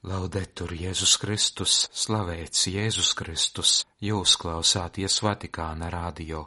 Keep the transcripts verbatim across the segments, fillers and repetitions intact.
Laudetur Jēzus Kristus, slavēts Jēzus Kristus, jūs klausāties Vatikāna radio.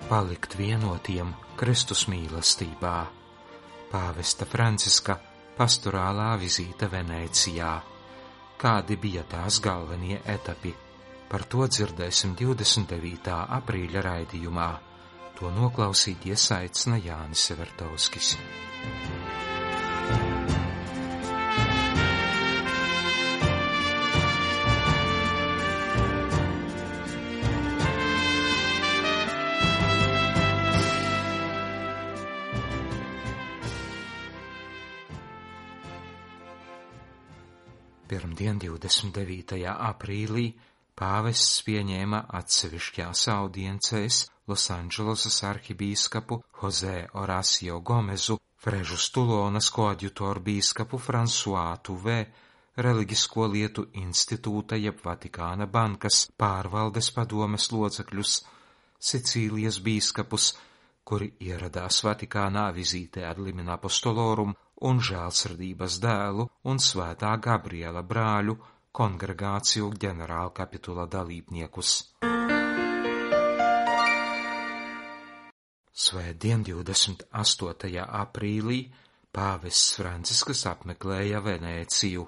Palikt vienotiem Kristus mīlestībā. Pāvesta Franciska pastorālā vizīte Venēcijā. Kādi bija tās galvenie etapi? Par to dzirdēsim divdesmit devītā aprīļa raidījumā. To noklausīties aicina Jānis Severtovskis. Pirmdien, divdesmit devītajā aprīlī, pāvests pieņēma atsevišķās audiencēs Losandželosas arhibīskapu Jose Horacio Gomezu, Frežus Tulonas koadjutoru bīskapu François Tuvé, Reliģisko lietu institūta jeb Vatikāna bankas pārvaldes padomes locekļus, Sicīlijas bīskapus, kuri ieradās Vatikānā vizītē ad limina apostolorum, un žēlsirdības dēlu un Svētā Gabriela brāļu kongregāciju ģenerālkapitula dalībniekus. Svētdien, divdesmit astotajā aprīlī, pāvests Francisks apmeklēja Venēciju.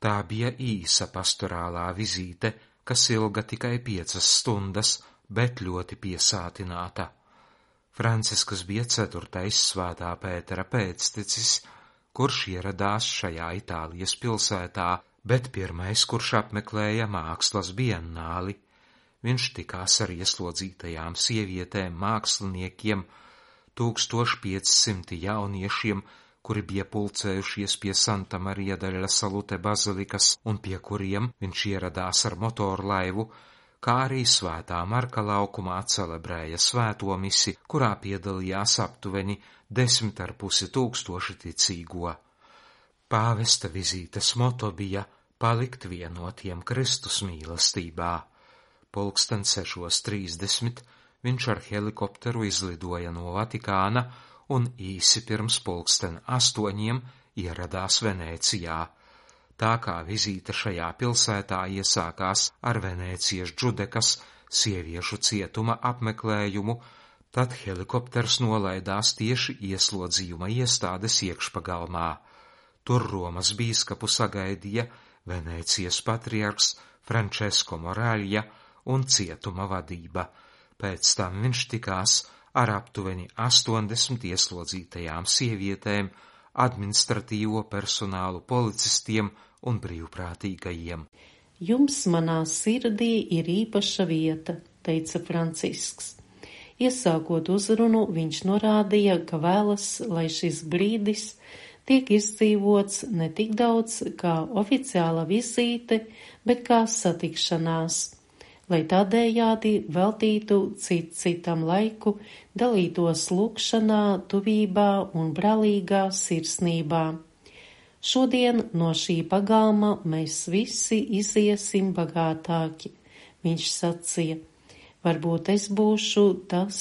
Tā bija īsa pastorālā vizīte, kas ilga tikai piecas stundas, bet ļoti piesātināta. Francisks bija ceturtais Svētā Pētera pēctecis, kurš ieradās šajā Itālijas pilsētā, bet pirmais, kurš apmeklēja mākslas biennāli. Viņš tikās ar ieslodzītajām sievietēm, māksliniekiem, tūkstoš piecsimti jauniešiem, kuri bija pulcējušies pie Santa Marija della Salute bazilikas un pie kuriem viņš ieradās ar motorlaivu, kā arī Svētā Marka laukumā celebrēja svēto misi, kurā piedalījās aptuveni desmit ar pusi tūkstoši ticīgo. Pāvesta vizītes moto bija palikt vienotiem Kristus mīlestībā. Pulksten sešos trīsdesmit viņš ar helikopteru izlidoja no Vatikāna un īsi pirms pulksten astoņiem ieradās Venēcijā. Tā kā vizīte šajā pilsētā iesākās ar Venēcijas Džudekas sieviešu cietuma apmeklējumu, tad helikopters nolaidās tieši ieslodzījuma iestādes iekšpagalmā. Tur Romas bīskapu sagaidīja Venēcijas patriarks Francesco Moraglia un cietuma vadība. Pēc tam viņš tikās ar aptuveni astoņdesmit ieslodzītajām sievietēm, administratīvo personālu, policistiem un brīvprātīgajiem. Jums manā sirdī ir īpaša vieta, teica Francisks. Iesākot uzrunu, viņš norādīja, ka vēlas, lai šis brīdis tiek izdzīvots ne tik daudz kā oficiāla vizīte, bet kā satikšanās, lai tādējādi veltītu cit citam laiku, dalītos lūgšanā, tuvībā un brālīgā sirsnībā. Šodien no šī pagalma mēs visi iziesim bagātāki, viņš sacīja. Varbūt es būšu tas,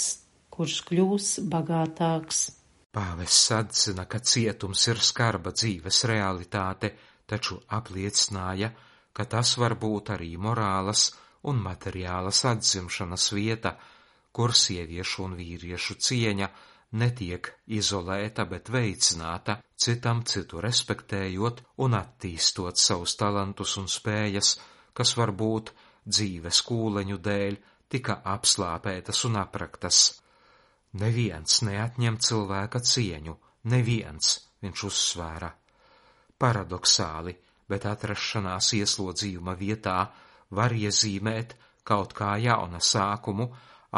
kurš kļūs bagātāks. Pāvests atzina, ka cietums ir skarba dzīves realitāte, taču apliecināja, ka tas var būt arī morālas un materiālas atzimšanas vieta, kur sieviešu un vīriešu cieņa netiek izolēta, bet veicināta, citam citu respektējot un attīstot savus talantus un spējas, kas varbūt dzīves kūleņu dēļ tika apslāpētas un apraktas. Neviens neatņem cilvēka cieņu, neviens, viņš uzsvēra. Paradoxāli, bet atrašanās ieslodzījuma vietā var iezīmēt kaut kā jauna sākumu,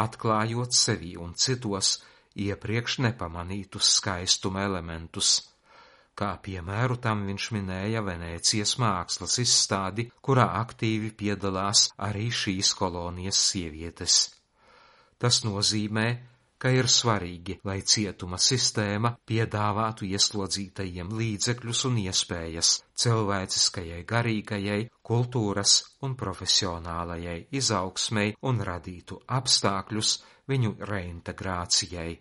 atklājot sevi un citos iepriekš nepamanītus skaistuma elementus. Kā piemēru tam viņš minēja Venēcijas mākslas izstādi, kurā aktīvi piedalās arī šīs kolonijas sievietes. Tas nozīmē, ka ir svarīgi, lai cietuma sistēma piedāvātu ieslodzītajiem līdzekļus un iespējas cilvēciskajai, garīgajai, kultūras un profesionālajai izaugsmei un radītu apstākļus viņu reintegrācijai.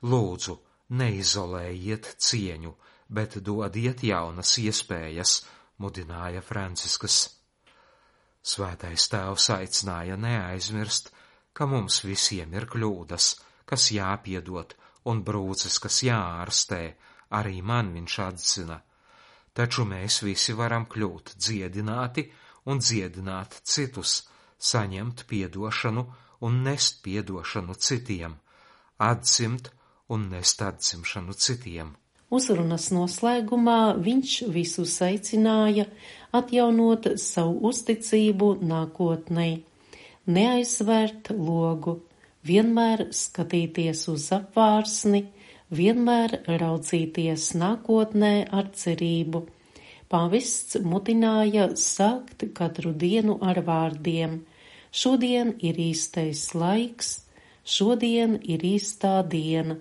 Lūdzu, neizolējiet cieņu, bet dodiet jaunas iespējas, mudināja Franciskas. Svētais tēvs aicināja neaizmirst, ka mums visiem ir kļūdas, kas jāpiedod, un brūces, kas jāārstē, arī man viņš atzina. Taču mēs visi varam kļūt dziedināti un dziedināt citus, saņemt piedošanu un nest piedošanu citiem, atdzimt un nest atdzimšanu citiem. Uzrunas noslēgumā viņš visus aicināja atjaunot savu uzticību nākotnei, neaizvērt logu, vienmēr skatīties uz apvārsni, vienmēr raudzīties nākotnē ar cerību. Pāvests mudināja sākt katru dienu ar vārdiem: šodien ir īstais laiks, šodien ir īstā diena,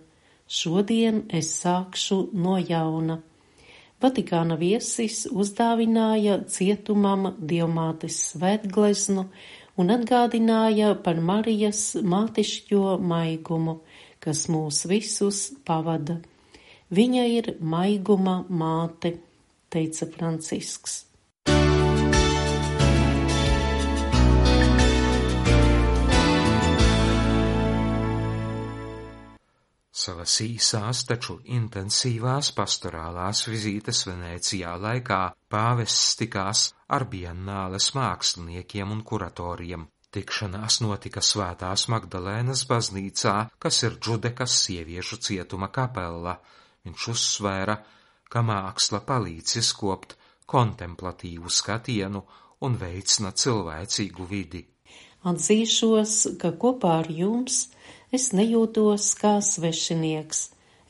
šodien es sākšu no jauna. Vatikāna viesis uzdāvināja cietumam Dievmātes svētgleznu un atgādināja par Marijas mātišķo maigumu, kas mūs visus pavada. Viņa ir maiguma māte, teica Francisks. Savas īsās, taču intensīvās pastorālās vizītes Venecijā laikā pāvests tikās ar biennāles māksliniekiem un kuratoriem. Tikšanās notika Svētās Magdalēnas baznīcā, kas ir Džudekas sieviešu cietuma kapella. Viņš uzsvēra, ka māksla palīdz izkopt kontemplatīvu skatienu un veicina cilvēcīgu vidi. Atzīšos, ka kopā ar jums es nejūtos kā svešinieks,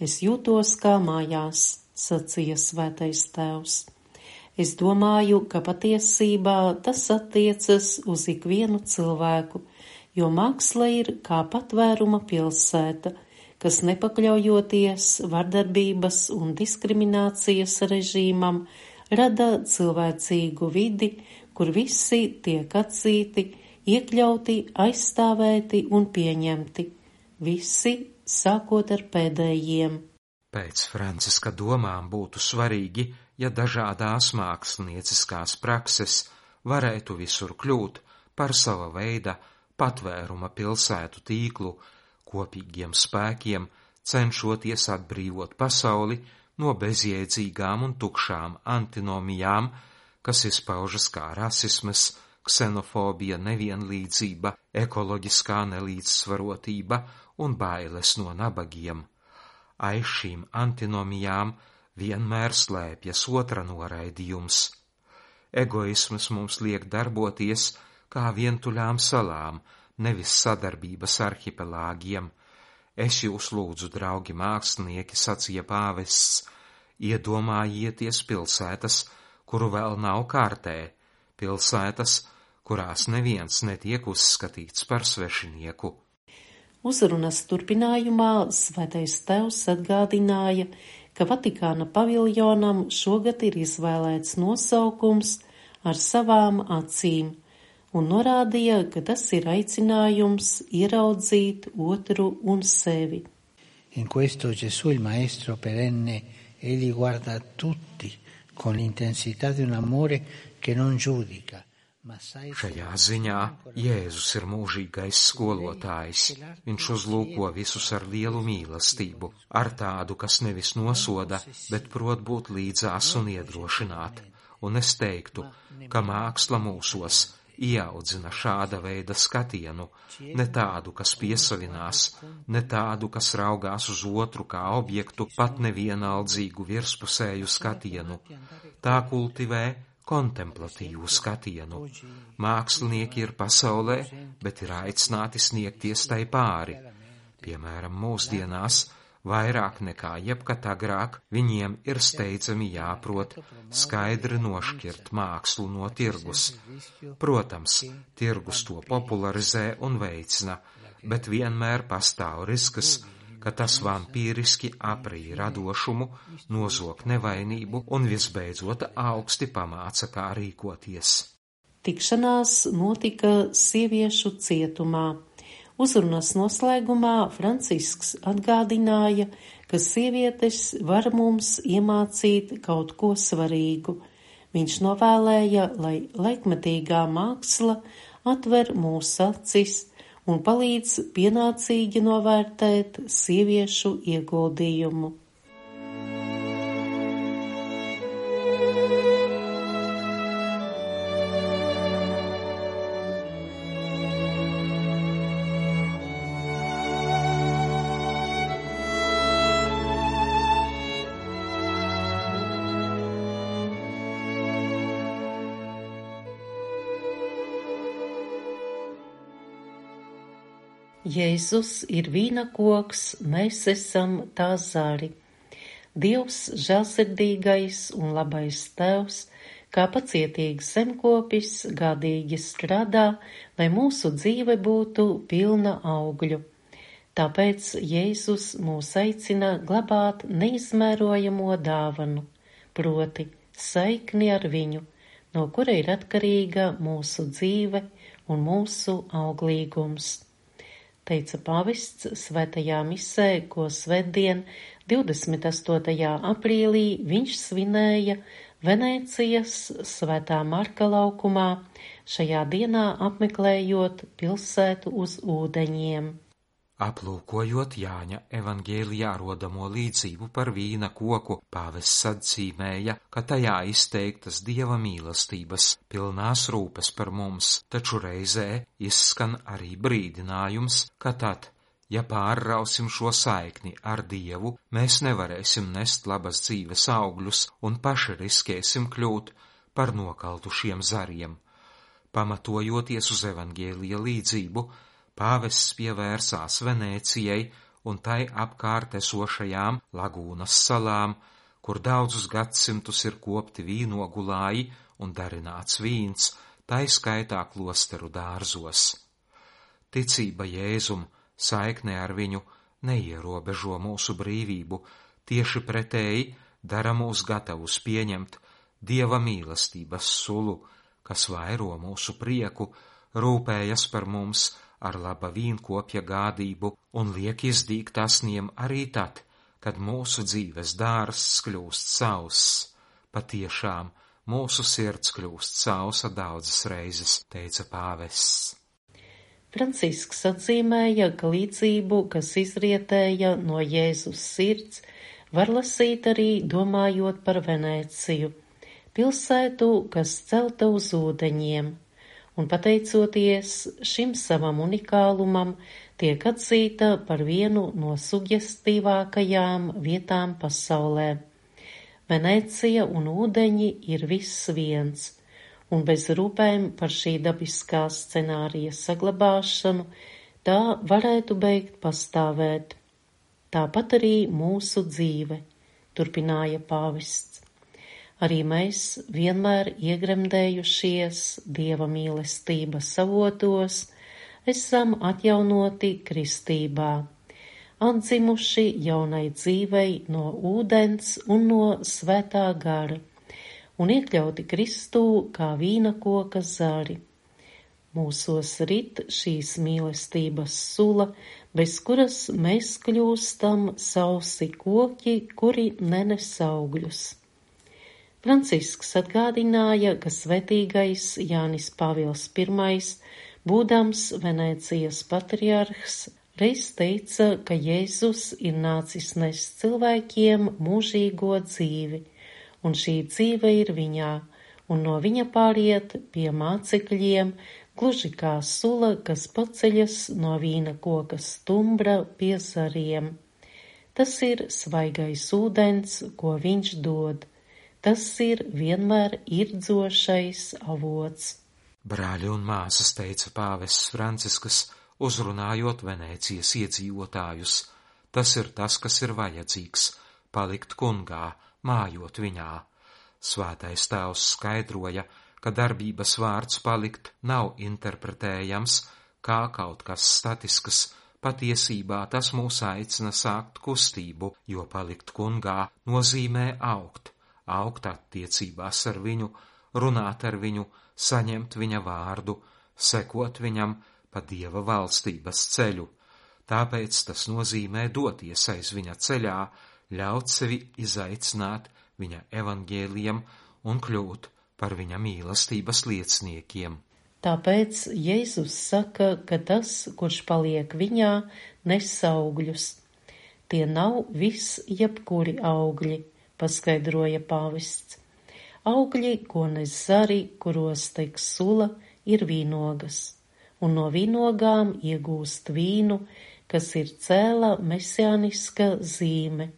es jūtos kā mājās, sacīja Svētais tēvs. Es domāju, ka patiesībā tas attiecas uz ikvienu cilvēku, jo māksla ir kā patvēruma pilsēta, kas nepakļaujoties vardarbības un diskriminācijas režīmam, rada cilvēcīgu vidi, kur visi tiek atzīti, iekļauti, aizstāvēti un pieņemti. Visi, sākot ar pēdējiem. Pēc Franciska domām būtu svarīgi, ja dažādās mākslinieckās prakses varētu visur kļūt par sava veida patvēruma pilsētu tīklu, kopīgiem spēkiem cenšoties atbrīvot pasauli no bezjēdzīgām un tukšām antinomijām, kas izpaužas kā rasisms, ksenofobija, nevienlīdzība, ekoloģiskā nelīdzsvarotība un bailes no nabagiem. Aiz šīm antinomijām vienmēr slēpjas otra noraidījums. Egoisms mums liek darboties kā vientuļām salām, nevis sadarbības arhipelāgiem. Es jūs lūdzu, draugi mākslinieki, sacīja pāvests, iedomājieties pilsētas, kuru vēl nav kārtē, pilsētas, kurās neviens netiek uzskatīts par svešinieku. Uzrunas turpinājumā Svētais tēvs atgādināja, ka Vatikāna paviljonam šogad ir izvēlēts nosaukums ar savām acīm, un norādīja, ka tas ir aicinājums ieraudzīt otru un sevi. In questo Gesù il maestro perenne, egli guarda tutti con l'intensità di un amore che non giudica. Šajā ziņā Jēzus ir mūžīgais skolotājs. Viņš uzlūko visus ar lielu mīlestību, ar tādu, kas nevis nosoda, bet prot būt līdzās un iedrošināt. Un es teiktu, ka māksla mūsos ieaudzina šāda veida skatienu, ne tādu, kas piesavinās, ne tādu, kas raugās uz otru kā objektu, pat nevienaldzīgu virspusēju skatienu. Tā kultivē kontemplatīvu skatienu. Mākslinieki ir pasaulē, bet ir aicināti sniegties tai pāri. Piemēram, mūsdienās, vairāk nekā jebkad agrāk, viņiem ir steidzami jāprot skaidri nošķirt mākslu no tirgus. Protams, tirgus to popularizē un veicina, bet vienmēr pastāv risks, ka tas vampīriski aprī radošumu, nozog nevainību un visbeidzot augsti pamāca, kā rīkoties. Tikšanās notika sieviešu cietumā. Uzrunas noslēgumā Francisks atgādināja, ka sievietes var mums iemācīt kaut ko svarīgu. Viņš novēlēja, lai laikmetīgā māksla atver mūsu acis un palīdz pienācīgi novērtēt sieviešu ieguldījumu. Jēzus ir vīna koks, mēs esam tā zari. Dievs žēlsirdīgais un labais tēvs, kā pacietīgs zemkopis, gādīgi strādā, lai mūsu dzīve būtu pilna augļu. Tāpēc Jēzus mūs aicina glabāt neizmērojamo dāvanu, proti saikni ar viņu, no kura ir atkarīga mūsu dzīve un mūsu auglīgums. Teica pavests svētajā misē, ko svētdien, divdesmit astotajā aprīlī, viņš svinēja Venēcijas Svētā Marka laukumā, šajā dienā apmeklējot pilsētu uz ūdeņiem. Aplūkojot Jāņa evaņģēlijā rodamo līdzību par vīna koku, pāvests atzīmēja, ka tajā izteiktas Dieva mīlestības pilnās rūpes par mums, taču reizē izskan arī brīdinājums, ka tad, ja pārrausim šo saikni ar Dievu, mēs nevarēsim nest labas dzīves augļus un paši riskēsim kļūt par nokaltušiem zariem. Pamatojoties uz evaņģēlija līdzību, pāvests pievērsās Venēcijai un tai apkārt esošajām lagūnas salām, kur daudzus gadsimtus ir kopti vīnogulāji un darināts vīns, tai skaitā klosteru dārzos. Ticība Jēzum, saikne ar viņu neierobežo mūsu brīvību, tieši pretēji dara mūs gatavus pieņemt Dieva mīlestības sulu, kas vairo mūsu prieku, rūpējas par mums ar laba vīnkopja gādību un liek izdīgt asniem arī tad, kad mūsu dzīves dārzs kļūst sauss. Patiešām, mūsu sirds kļūst sausa daudzas reizes, teica pāvests. Francisks atzīmēja, ka līdzību, kas izrietēja no Jēzus sirds, var lasīt arī domājot par Venēciju, pilsētu, kas celta uz ūdeņiem. Un pateicoties šim savam unikālumam, tiek atzīta par vienu no sugestīvākajām vietām pasaulē. Venēcija un ūdeņi ir viss viens, un bez rūpēm par šī dabiskā scenārija saglabāšanu tā varētu beigt pastāvēt. Tāpat arī mūsu dzīve, turpināja pāvests. Arī mēs vienmēr iegremdējušies Dieva mīlestības avotos, esam atjaunoti kristībā, atdzimuši jaunai dzīvei no ūdens un no svētā gara, un iekļauti Kristū kā vīna koka zari. Mūsos rit šīs mīlestības sula, bez kuras mēs kļūstam sausi koki, kuri nenes augļus. Francisks atgādināja, ka svētīgais Jānis Pāvils Pirmais, būdams Venēcijas patriarhs, reiz teica, ka Jēzus ir nācis nest cilvēkiem mūžīgo dzīvi, un šī dzīve ir viņā, un no viņa pāriet pie mācekļiem, gluži kā sula, kas paceļas no vīna koka stumbra pie zariem. Tas ir svaigais ūdens, ko viņš dod. Tas ir vienmēr irdzošais avots. Brāļi un māsas, teica pāvests Francisks, uzrunājot Venēcijas iedzīvotājus. Tas ir tas, kas ir vajadzīgs, palikt kungā, mājot viņā. Svētais tēvs skaidroja, ka darbības vārds palikt nav interpretējams kā kaut kas statisks. Patiesībā tas mūs aicina sākt kustību, jo palikt kungā nozīmē augt. Augt attiecībās ar viņu, runāt ar viņu, saņemt viņa vārdu, sekot viņam, pa Dieva valstības ceļu. Tāpēc tas nozīmē doties aiz viņa ceļā, ļaut sevi izaicināt viņa evaņģēlijam un kļūt par viņa mīlestības lieciniekiem. Tāpēc Jēzus saka, ka tas, kurš paliek viņā, nes augļus. Tie nav viss jebkuri augļi, paskaidroja pāvests. Augļi, ko nes zari, kuros tek sula, ir vīnogas, un no vīnogām iegūst vīnu, kas ir cēla mesiāniska zīme.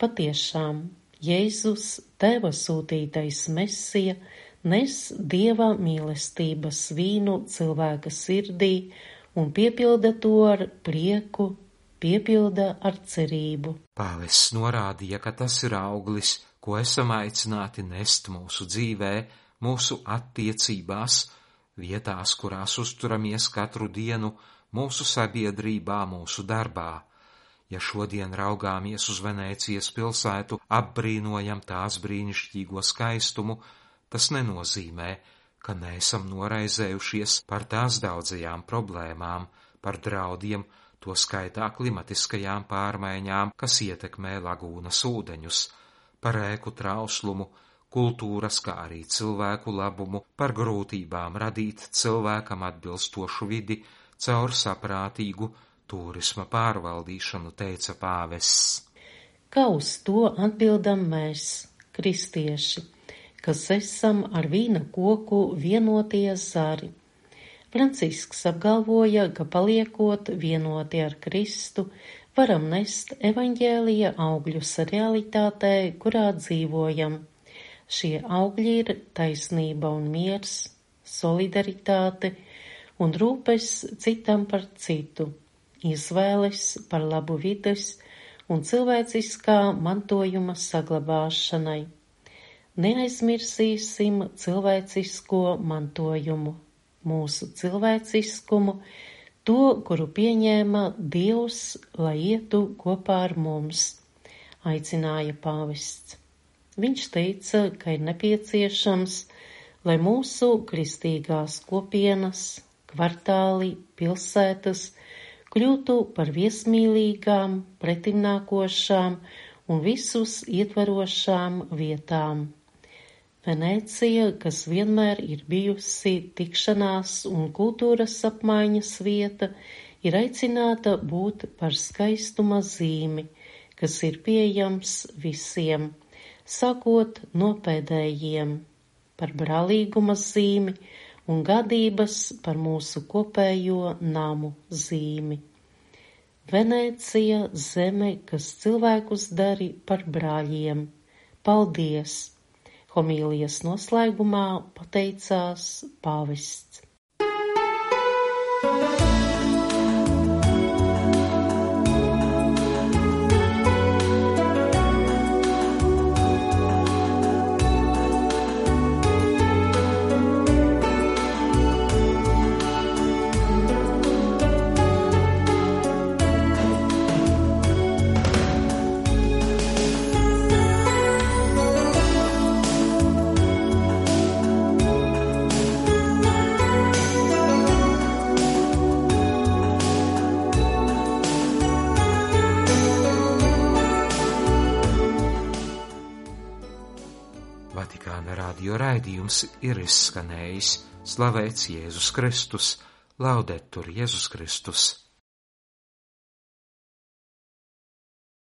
Patiešām, Jēzus, Tēva sūtītais Mesija, nes Dieva mīlestības vīnu cilvēka sirdī un piepilda to ar prieku, piepilda ar cerību. Pāvests norādīja, ka tas ir auglis, ko esam aicināti nest mūsu dzīvē, mūsu attiecībās, vietās, kurās uzturamies katru dienu, mūsu sabiedrībā, mūsu darbā. Ja šodien raugāmies uz Venēcijas pilsētu, apbrīnojam tās brīnišķīgo skaistumu, tas nenozīmē, ka neesam noraizējušies par tās daudzajām problēmām, par draudiem, to skaitā klimatiskajām pārmaiņām, kas ietekmē lagūnas ūdeņus, par ēku trauslumu, kultūras, kā arī cilvēku labumu, par grūtībām radīt cilvēkam atbilstošu vidi caur saprātīgu turisma pārvaldīšanu, teica pāvests. Kā uz to atbildam mēs, kristieši, kas esam ar vīna koku vienotie zari? Francisks apgalvoja, ka paliekot vienoti ar Kristu, varam nest evaņģēlija augļus realitātē, kurā dzīvojam. Šie augļi ir taisnība un miers, solidaritāte un rūpes citam par citu, izvēles par labu vides un cilvēciskā mantojuma saglabāšanai. Neaizmirsīsim cilvēcisko mantojumu, mūsu cilvēciskumu, to, kuru pieņēma Dievs, lai ietu kopā ar mums, aicināja pāvests. Viņš teica, ka ir nepieciešams, lai mūsu kristīgās kopienas, kvartāli, pilsētas kļūtu par viesmīlīgām, pretimnākošām un visus ietverošām vietām. Venēcija, kas vienmēr ir bijusi tikšanās un kultūras apmaiņas vieta, ir aicināta būt par skaistuma zīmi, kas ir pieejams visiem, sākot no pēdējiem, par brālīguma zīmi un gādības par mūsu kopējo namu zīmi. Venēcija, zeme, kas cilvēkus dari par brāļiem. Paldies! Homīlijas noslēgumā pateicās pāvests. Vatikāna radio raidījums ir izskanējis. Slavēts Jēzus Kristus, Laudetur Jēzus Kristus.